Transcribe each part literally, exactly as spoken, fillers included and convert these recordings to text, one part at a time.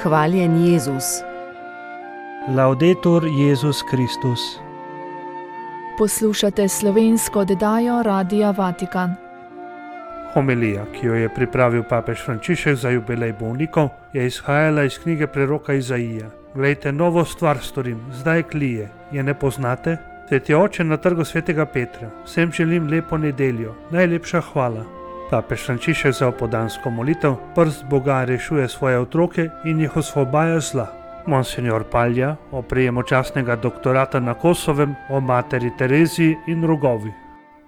Hvaljen Jezus. Laudetur Jezus Kristus. Poslušate slovensko oddajo Radia Vatikan. Homilija, ki jo je pripravil papež Frančišek za jubilej bolnikov, je izhajala iz knjige preroka Izaija. Glejte, novo stvar storim, zdaj klije, je ne poznate? Sveti oče na trgu svetega Petra, vsem želim lepo nedeljo, najlepša hvala. Papež Frančišek za opoldansko molitev, prst Boga rešuje svoje otroke in jih osvobaja zla. Monsignor Palja o prejemu častnega doktorata na Kosovem, o materi Tereziji in Rogovi.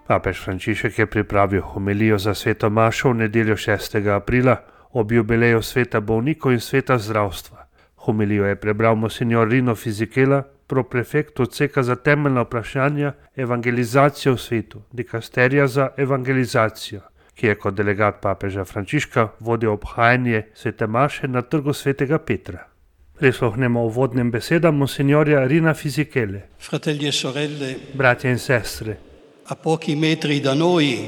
Papež Frančišek je pripravil homilijo za sveto mašo v nedeljo šestega aprila ob jubileju sveta bolnikov in sveta zdravstva. Homilijo je prebral monsignor Rino Fisichella, proprefekt odseka za temeljna vprašanja evangelizacije v svetu, dikasterija za evangelizacijo, ki je kot delegat papeža Frančiška vodil obhajanje svete maše na trgu svetega Petra. Prisluhnemo uvodnim besedam monsignorja Rina Fisichelle. Fratelli e sorelle, Bratje in sestre, a pochi metri da noi,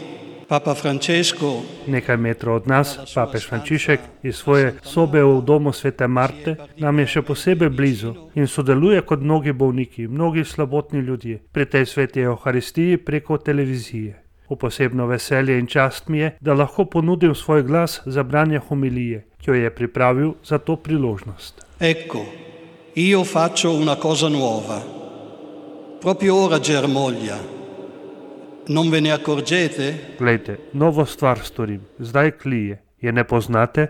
Papa Francesco, nekaj metrov od nas, papež Frančišek iz svoje sobe v domu svete Marte nam je še posebej blizu in sodeluje kot mnogi bolniki, mnogi slabotni ljudje pri tej sveti Euharistiji preko televizije. V posebno veselje in čast mi je, da lahko ponudim svoj glas za branje homilije, ki jo je pripravil za to priložnost. ecco, io faccio una cosa nuova. Proprio ora germoglia. Non ve ne accorgete? Glejte, novo stvar storim, zdaj klije, je ne poznate?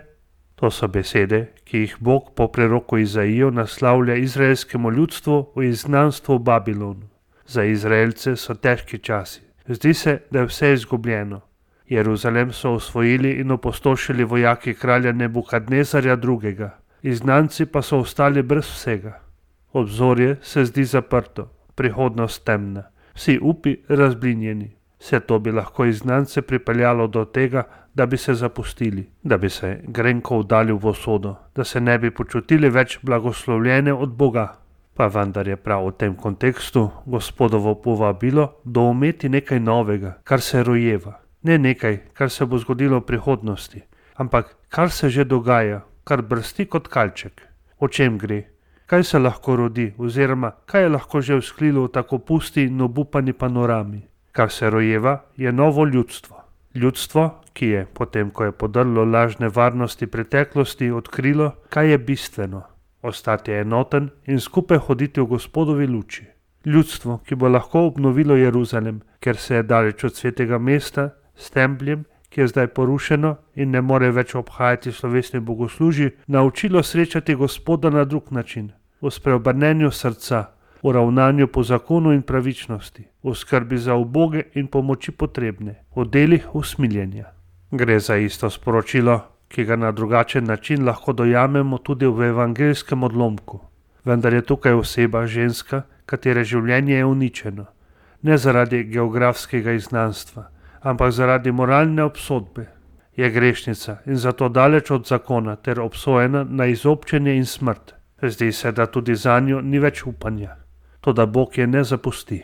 To so besede, ki jih Bog po preroku Izaiju naslavlja izraelskemu ljudstvu v izgnanstvu v Babilonu. Za Izraelce so težki časi. Zdi se, da je vse izgubljeno. Jeruzalem so osvojili in opustošili vojaki kralja Nebukadnezarja drugega. Izgnanci pa so ostali brez vsega. Obzorje se zdi zaprto, prihodnost temna. Vsi upi razblinjeni. Vse to bi lahko izgnance pripeljalo do tega, da bi se zapustili, da bi se grenko vdali v usodo, da se ne bi počutili več blagoslovljene od Boga. Pa vendar je prav v tem kontekstu Gospodovo povabilo doumeti nekaj novega, kar se rojeva. Ne nekaj, kar se bo zgodilo v prihodnosti, ampak kar se že dogaja, kar brsti kot kalček. O čem gre? Kaj se lahko rodi oziroma kaj je lahko že vzklilo v tako pusti in obupani panorami? Kar se rojeva, je novo ljudstvo. Ljudstvo, ki je, potem ko je podrlo lažne varnosti preteklosti, odkrilo, kaj je bistveno. Ostati enoten in skupaj hoditi v Gospodovi luči. Ljudstvo, ki bo lahko obnovilo Jeruzalem, ker se je daleč od svetega mesta, s templjem, ki je zdaj porušeno in ne more več obhajati slovesne bogoslužji, naučilo srečati Gospoda na drug način, v spreobrnenju srca, v ravnanju po zakonu in pravičnosti, v skrbi za uboge in pomoči potrebne, v delih usmiljenja. Gre za isto sporočilo, ki ga na drugačen način lahko dojamemo tudi v evangeljskem odlomku. Vendar je tukaj oseba ženska, katere življenje je uničeno, ne zaradi geografskega izgnanstva, ampak zaradi moralne obsodbe. Je grešnica in zato daleč od zakona ter obsojena na izobčenje in smrt. Zdi se, da tudi zanjo ni več upanja. Toda Bog je ne zapusti.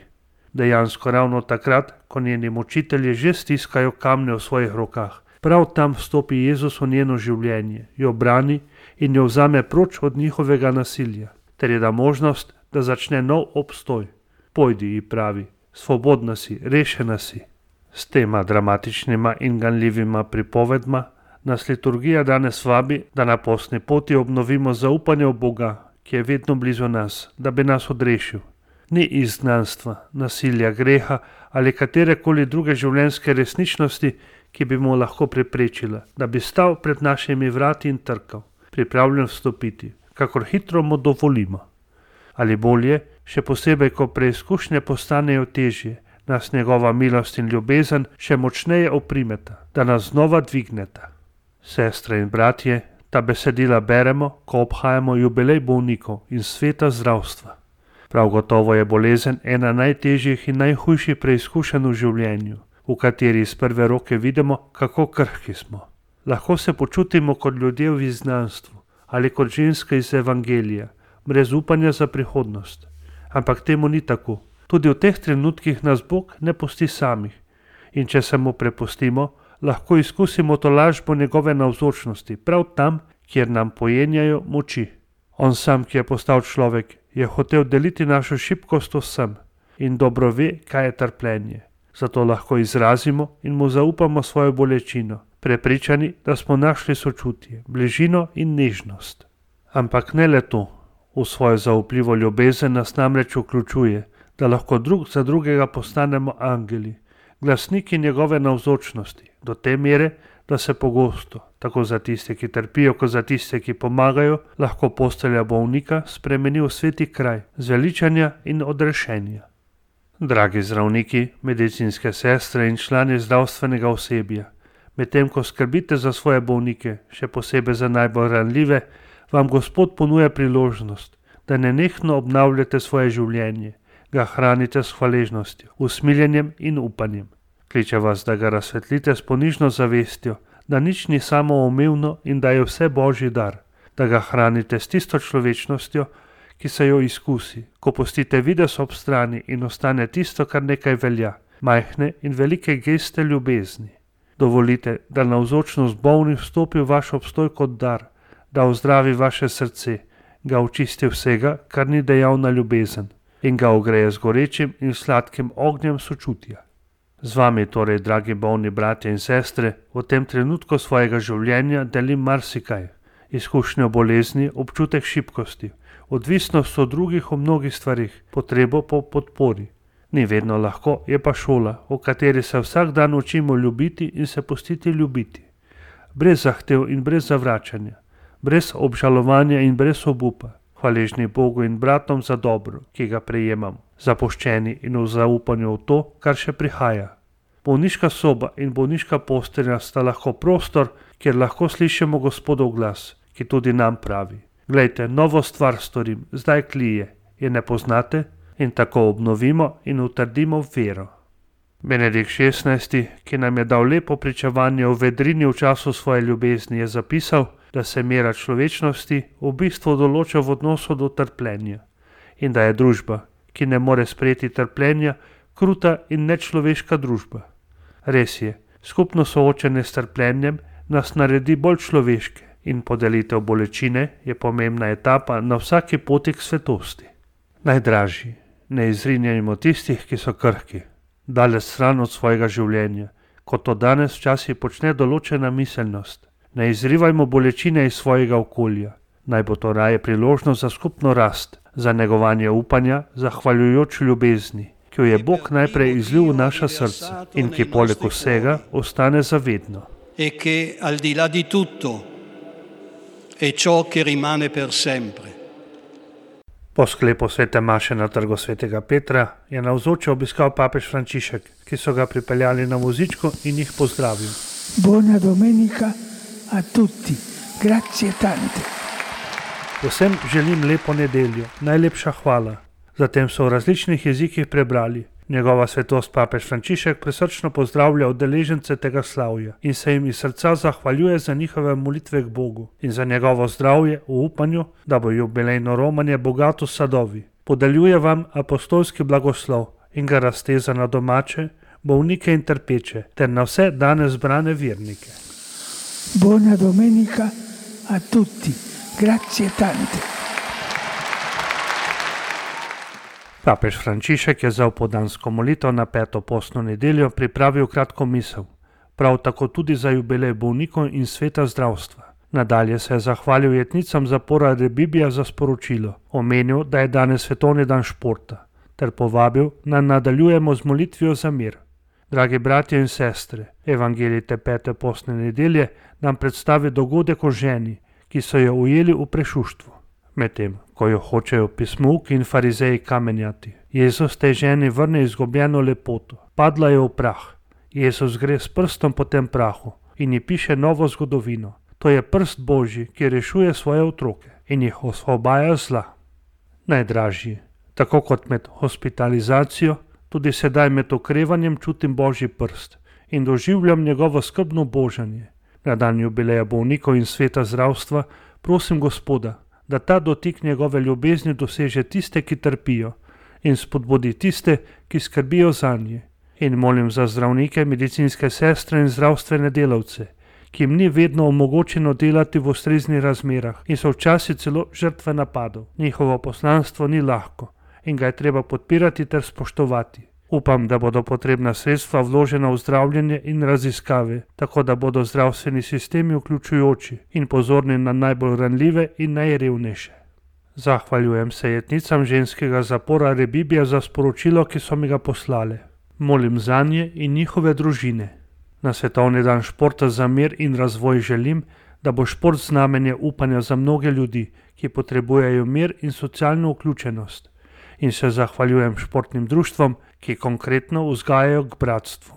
Dejansko ravno takrat, ko njeni mučitelji že stiskajo kamne v svojih rokah, prav tam vstopi Jezus v njeno življenje, jo brani in jo vzame proč od njihovega nasilja, ter je da možnost, da začne nov obstoj. Pojdi, ji pravi, svobodna si, rešena si. S tema dramatičnima in ganljivima pripovedma nas liturgija danes vabi, da na postni poti obnovimo zaupanje v Boga, ki je vedno blizu nas, da bi nas odrešil. Ni izgnanstva, nasilja, greha ali katerekoli druge življenjske resničnosti, ki bi mu lahko preprečila, da bi stal pred našimi vrati in trkal, pripravljen vstopiti, kakor hitro mu dovolimo. Ali bolje, še posebej, ko preizkušnje postanejo težje, nas njegova milost in ljubezen še močneje oprimeta, da nas znova dvigneta. Sestre in bratje, ta besedila beremo, ko obhajamo jubilej bolnikov in sveta zdravstva. Prav gotovo je bolezen ena najtežjih in najhujših preizkušenj v življenju, v kateri iz prve roke vidimo, kako krhki smo. Lahko se počutimo kot ljudje v izgnanstvu ali kot ženska iz evangelija, brez upanja za prihodnost. Ampak temu ni tako. Tudi v teh trenutkih nas Bog ne pusti samih. In če se mu prepustimo, lahko izkusimo tolažbo njegove navzočnosti, prav tam, kjer nam pojenjajo moči. On sam, ki je postal človek, je hotel deliti našo šibkost vsem in dobro ve, kaj je trpljenje. Zato lahko izrazimo in mu zaupamo svojo bolečino, prepričani, da smo našli sočutje, bližino in nežnost. Ampak ne le to, v svojo zaupljivo ljubezen nas namreč vključuje, da lahko drug za drugega postanemo angeli, glasniki njegove navzočnosti, do te mere, da se pogosto, tako za tiste, ki trpijo, kot za tiste, ki pomagajo, lahko postelja bolnika spremeni v sveti kraj, zveličanja in odrešenja. Dragi zdravniki, medicinske sestre in člani zdravstvenega osebja, medtem ko skrbite za svoje bolnike, še posebej za najbolj ranljive, vam Gospod ponuja priložnost, da nenehno obnavljate svoje življenje, ga hranite s hvaležnostjo, usmiljenjem in upanjem. Kliče vas, da ga razsvetlite s ponižno zavestjo, da nič ni samoumevno in da je vse Božji dar, da ga hranite s tisto človečnostjo, ki se jo izkusi, ko pustite videz ob strani in ostane tisto, kar nekaj velja, majhne in velike geste ljubezni. Dovolite, da navzočnost bolnih vstopi v vaš obstoj kot dar, da ozdravi vaše srce, ga očisti vsega, kar ni dejavna ljubezen, in ga ogreje z gorečim in sladkim ognjem sočutja. Z vami torej, dragi bolni bratje in sestre, v tem trenutku svojega življenja delim marsikaj, izkušnjo bolezni, občutek šibkosti, odvisnost od drugih v mnogih stvarih, potrebo po podpori. Ni vedno lahko, je pa šola, v kateri se vsak dan učimo ljubiti in se pustiti ljubiti. Brez zahtev in brez zavračanja, brez obžalovanja in brez obupa, hvaležni Bogu in bratom za dobro, ki ga prejemamo, zapuščeni in v zaupanju v to, kar še prihaja. Bolniška soba in bolniška postelja sta lahko prostor, kjer lahko slišimo Gospodov glas, ki tudi nam pravi: Glejte, novo stvar storim, zdaj klije, je ne poznate? In tako obnovimo in utrdimo vero. Benedikt šestnajsti, ki nam je dal lepo pričevanje o vedrini v času svoje ljubezni, je zapisal, da se mera človečnosti v bistvu določa v odnosu do trpljenja in da je družba, ki ne more sprejeti trpljenja, kruta in nečloveška družba. Res je, skupno soočenje s trpljenjem nas naredi bolj človeške in podelitev bolečine je pomembna etapa na vsaki poti k svetosti. Najdražji, ne izrinjajmo tistih, ki so krhki, daleč stran od svojega življenja, kot to danes včasih počne določena miselnost. Ne izrivajmo bolečine iz svojega okolja, naj bo to raje priložnost za skupno rast, za negovanje upanja, zahvaljujoč ljubezni, ki jo je Bog najprej izlil v naša srca in ki poleg vsega ostane zavedno. E che al di là di tutto è ciò che rimane per sempre. Po sklepu svete maše na trgu svetega Petra je navzoče obiskal papež Frančišek, ki so ga pripeljali na vozičku in jih pozdravil. Buona domenica a tutti, grazie tante. Vsem želim lepo nedeljo, najlepša hvala. Zatem so v različnih jezikih prebrali. Njegova svetost papež Frančišek prisrčno pozdravlja udeležence tega slavja in se jim iz srca zahvaljuje za njihove molitve k Bogu in za njegovo zdravje v upanju, da bo jubilejno romanje bogato s sadovi. Podeljuje vam apostolski blagoslov in ga razteza na domače, bolnike in trpeče ter na vse danes zbrane vernike. Buona domenica a tutti, grazie tante. Papež Frančišek je za opoldansko molitev na peto postno nedeljo pripravil kratko misel, prav tako tudi za jubilej bolnikov in sveta zdravstva. Nadalje se je zahvalil jetnicam zapora Rebibija za sporočilo, omenil, da je danes svetovni dan športa, ter povabil, da nadaljujemo z molitvijo za mir. Dragi bratje in sestre, evangelij te pete postne nedelje nam predstavi dogodek o ženi, ki so jo ujeli v prešuštvu. Medtem, ko jo hočejo pismouki in farizeji kamenjati, Jezus tej ženi vrne izgubljeno lepoto. Padla je v prah. Jezus gre s prstom po tem prahu in ji piše novo zgodovino. To je prst Božji, ki rešuje svoje otroke in jih osvobaja zla. Najdražji, tako kot med hospitalizacijo, tudi sedaj med okrevanjem čutim Božji prst in doživljam njegovo skrbno božanje. Na dan jubileja bolnikov in sveta zdravstva prosim Gospoda, da ta dotik njegove ljubezni doseže tiste, ki trpijo, in spodbudi tiste, ki skrbijo zanje. In molim za zdravnike, medicinske sestre in zdravstvene delavce, ki jim ni vedno omogočeno delati v ustreznih razmerah in so včasih celo žrtve napadov. Njihovo poslanstvo ni lahko in ga je treba podpirati ter spoštovati. Upam, da bodo potrebna sredstva vložena v zdravljenje in raziskave, tako da bodo zdravstveni sistemi vključujoči in pozorni na najbolj ranljive in najrevnejše. Zahvaljujem se jetnicam ženskega zapora Rebibija za sporočilo, ki so mi ga poslale. Molim zanje in njihove družine. Na svetovni dan športa za mir in razvoj želim, da bo šport znamenje upanja za mnoge ljudi, ki potrebujejo mir in socialno vključenost. In se zahvaljujem športnim društvom, ki konkretno vzgajajo k bratstvu.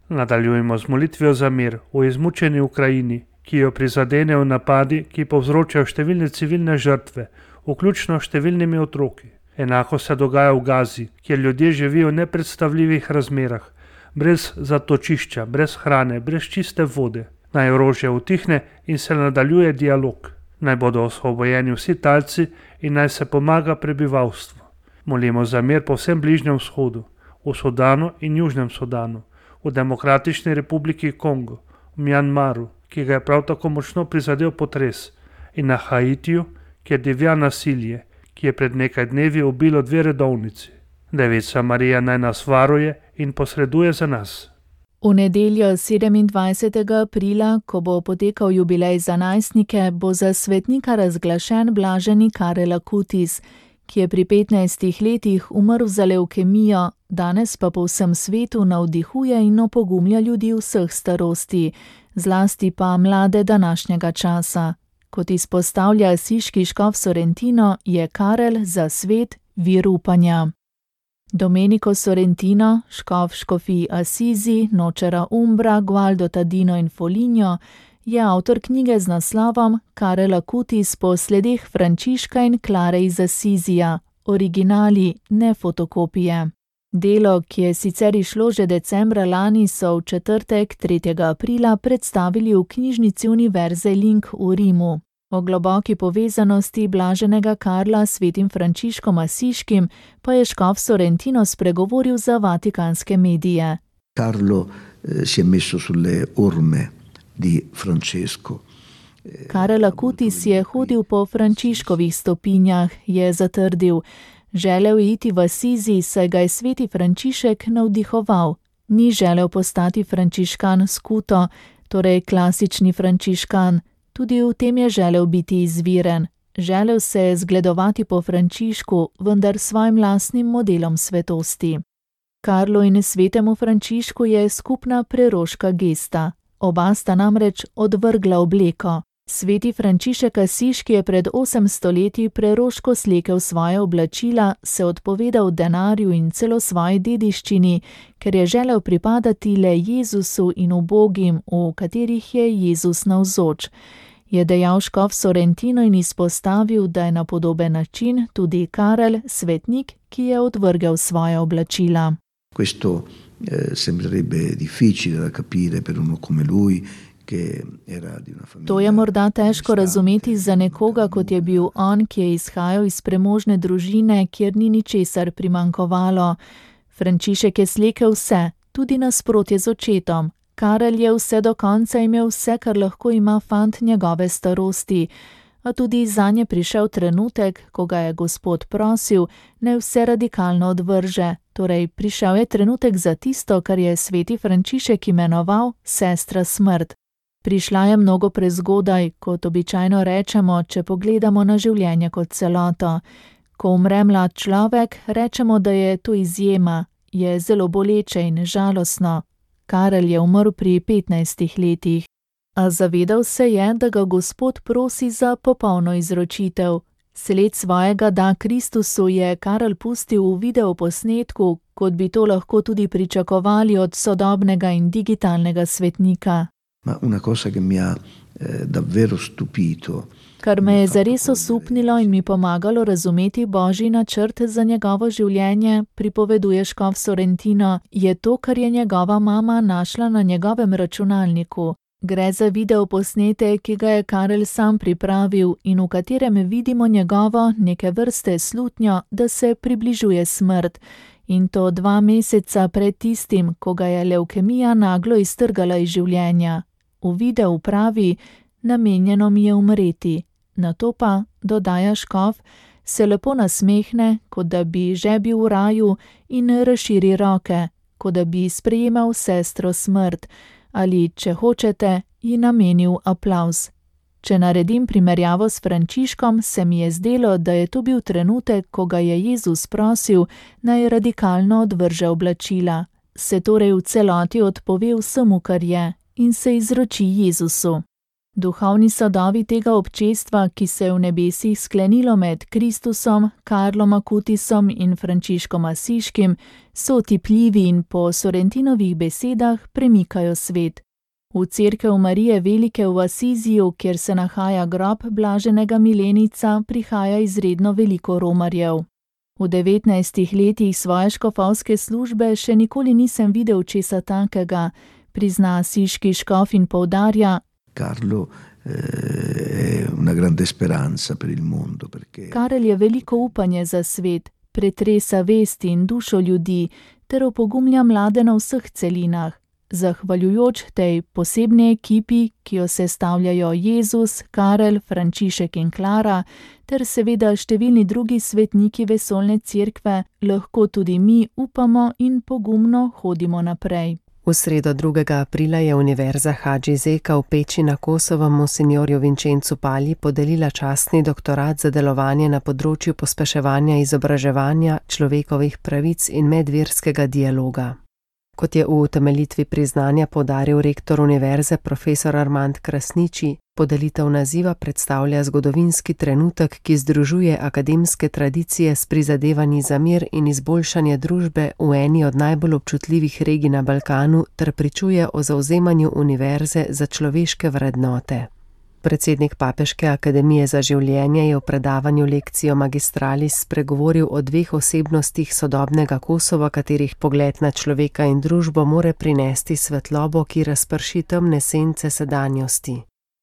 Nadaljujemo z molitvijo za mir v izmučeni Ukrajini, ki jo prizadenejo napadi, ki povzročajo številne civilne žrtve, vključno številnimi otroki. Enako se dogaja v Gazi, kjer ljudje živijo v nepredstavljivih razmerah, brez zatočišča, brez hrane, brez čiste vode. Naj orožje utihne in se nadaljuje dialog. Naj bodo osvobojeni vsi talci in naj se pomaga prebivalstvu. Molimo za mir po vsem Bližnjem vzhodu, v Sudanu in Južnem Sudanu, v Demokratični republiki Kongo, v Mjanmaru, ki ga je prav tako močno prizadel potres, in na Haitiju, kjer divja nasilje, ki je pred nekaj dnevi ubilo dve redovnici. Devica Marija naj nas varuje in posreduje za nas. V nedeljo sedemindvajsetega aprila, ko bo potekal jubilej za najstnike, bo za svetnika razglašen blaženi Karel Akutis, ki je pri petnajstih letih umrl za levkemijo, danes pa po vsem svetu navdihuje in opogumlja ljudi vseh starosti, zlasti pa mlade današnjega časa. Kot izpostavlja asiški škof Sorrentino, je Karel za svet vir upanja. Domenico Sorrentino, škof škofij Assisi, Nocera Umbra, Gualdo Tadino in Foligno, je avtor knjige z naslovom Karel Akutis po sledeh Frančiška in Klare iz Assizija, originali, ne fotokopije. Delo, ki je sicer izšlo že decembra lani, so v četrtek, tretjega aprila, predstavili v knjižnici Univerze Link v Rimu. O globoki povezanosti blaženega Karla s svetim Frančiškom Asiškim pa je škof Sorrentino spregovoril za vatikanske medije. Carlo eh, si je messo sulle orme di Francesco. Karel Akutis je hodil po Frančiškovih stopinjah, je zatrdil. Želel je iti v Asizi, saj ga je sveti Frančišek navdihoval. Ni želel postati frančiškan skuto, torej klasični frančiškan. Tudi v tem je želel biti izviren. Želel se je zgledovati po Frančišku, vendar svojim lastnim modelom svetosti. Karlu in svetemu Frančišku je skupna preroška gesta. Oba sta namreč odvrgla obleko. Sveti Frančišek Asiški je pred osemsto leti preroško slekel svoje oblačila, se odpovedal denarju in celo svoji dediščini, ker je želel pripadati le Jezusu in ubogim, v katerih je Jezus navzoč. Je dejal škof Sorrentino in izpostavil, da je na podoben način tudi Karel svetnik, ki je odvrgel svoje oblačila. Questo eh, sembrerebbe difficile da capire per uno come lui. To je morda težko razumeti za nekoga, kot je bil on, ki je izhajal iz premožne družine, kjer ni ničesar primanjkovalo. Frančišek je slekel vse, tudi nasprotje z očetom. Karel je vse do konca imel vse, kar lahko ima fant njegove starosti. A tudi zanje prišel trenutek, ko ga je Gospod prosil, naj vse radikalno odvrže. Torej, prišel je trenutek za tisto, kar je sveti Frančišek imenoval sestra smrt. Prišla je mnogo prezgodaj, kot običajno rečemo, če pogledamo na življenje kot celoto. Ko umre mlad človek, rečemo, da je to izjema, je zelo boleče in žalostno. Karel je umrl pri petnajstih letih. A zavedal se je, da ga Gospod prosi za popolno izročitev. Sled svojega da Kristusu je Karel pustil v videoposnetku, kot bi to lahko tudi pričakovali od sodobnega in digitalnega svetnika. Ma una cosa che mi ha eh, davvero stupito. Kar me je zares osupnilo in mi pomagalo razumeti Božji načrt za njegovo življenje, pripoveduje škof Sorrentino, je to, kar je njegova mama našla na njegovem računalniku. Gre za videoposnetek, ki ga je Karel sam pripravil in v katerem vidimo njegovo neke vrste slutnjo, da se približuje smrt. In to dva meseca pred tistim, ko ga je levkemija naglo iztrgala iz življenja. Uvide v pravi, namenjeno mi je umreti. Nato pa, dodaja škof, se lepo nasmehne, kot da bi že bil v raju, in razširi roke, kot da bi sprejemal sestro smrt, ali, če hočete, ji namenil aplavz. Če naredim primerjavo s Frančiškom, se mi je zdelo, da je to bil trenutek, ko ga je Jezus prosil, naj radikalno odvrže oblačila, se torej v celoti odpove vsemu, kar je, in se izroči Jezusu. Duhovni sadovi tega občestva, ki se je v nebesih sklenilo med Kristusom, Karlom Akutisom in Frančiškom Asiškim, so otipljivi in po Sorrentinovih besedah premikajo svet. V cerkev Marije Velike v Asiziju, kjer se nahaja grob blaženega milenica, prihaja izredno veliko romarjev. V devetnajstih letih svoje škofovske službe še nikoli nisem videl česa takega, prizna asiški škof in poudarja: Carlo è una grande speranza per il mondo, perché Karel je veliko upanje za svet, pretresa vest in dušo ljudi ter opogumlja mlade na vseh celinah. Zahvaljujoč tej posebni ekipi, ki jo sestavljajo Jezus, Karel, Frančišek in Klara, ter seveda številni drugi svetniki vesoljne cerkve, lahko tudi mi upamo in pogumno hodimo naprej. V sredo drugega aprila je Univerza Hadži Zeka v Peči na Kosovem monsinjorju Vincencu Palji podelila častni doktorat za delovanje na področju pospeševanja izobraževanja, človekovih pravic in medverskega dialoga. Kot je v utemeljitvi priznanja poudaril rektor univerze profesor Armand Krasniči, podelitev naziva predstavlja zgodovinski trenutek, ki združuje akademske tradicije s prizadevanji za mir in izboljšanje družbe v eni od najbolj občutljivih regij na Balkanu ter pričuje o zavzemanju univerze za človeške vrednote. Predsednik Papeške akademije za življenje je v predavanju Lectio Magistralis spregovoril o dveh osebnostih sodobnega Kosova, katerih pogled na človeka in družbo more prinesti svetlobo, ki razprši temne sence sedanjosti.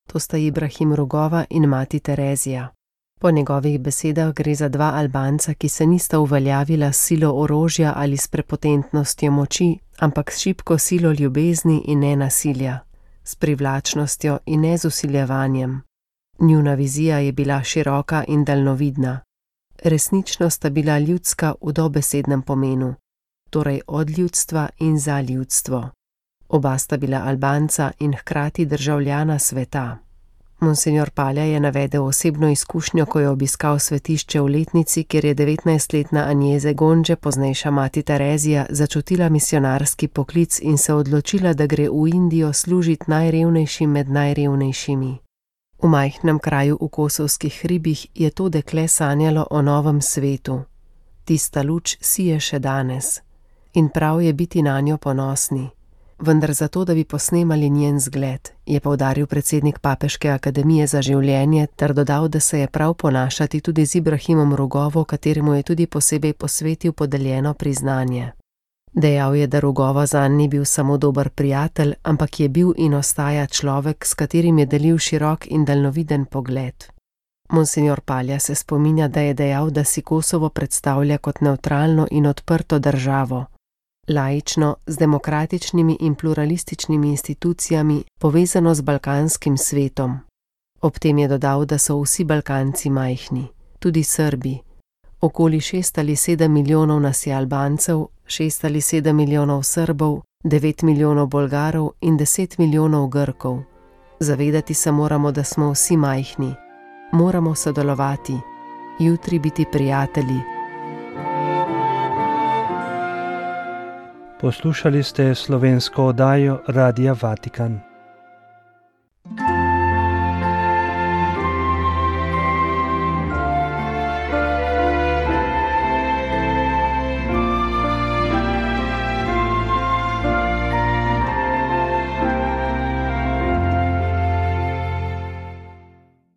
To sta Ibrahim Rugova in mati Terezija. Po njegovih besedah gre za dva Albanca, ki se nista uveljavila s silo orožja ali s prepotentnostjo moči, ampak s šibko silo ljubezni in nenasilja, s privlačnostjo in ne z usiljevanjem. Njuna vizija je bila široka in daljnovidna. Resnično sta bila ljudska v dobesednem pomenu, torej od ljudstva in za ljudstvo. Oba sta bila Albanca in hkrati državljana sveta. Monsignor Palja je navedel osebno izkušnjo, ko je obiskal svetišče v Letnici, kjer je devetnajstletna Agnese Gonže, poznejša mati Terezija, začutila misionarski poklic in se odločila, da gre v Indijo služiti najrevnejšim med najrevnejšimi. V majhnem kraju v kosovskih hribih je to dekle sanjalo o novem svetu. Tista luč sije še danes. In prav je biti nanjo ponosni. Vendar zato, da bi posnemali njen zgled, je poudaril predsednik Papeške akademije za življenje ter dodal, da se je prav ponašati tudi z Ibrahimom Rugovo, kateremu je tudi posebej posvetil podeljeno priznanje. Dejal je, da Rugovo zanj ni bil samo dober prijatelj, ampak je bil in ostaja človek, s katerim je delil širok in daljnoviden pogled. Monsignor Palja se spominja, da je dejal, da si Kosovo predstavlja kot nevtralno in odprto državo, laično, z demokratičnimi in pluralističnimi institucijami, povezano z balkanskim svetom. Ob tem je dodal, da so vsi Balkanci majhni, tudi Srbi. Okoli šest ali sedem milijonov nas je Albancev, šest ali sedem milijonov Srbov, devet milijonov Bolgarov in deset milijonov Grkov. Zavedati se moramo, da smo vsi majhni. Moramo sodelovati, jutri biti prijatelji. Poslušali ste slovensko oddajo Radia Vatikan.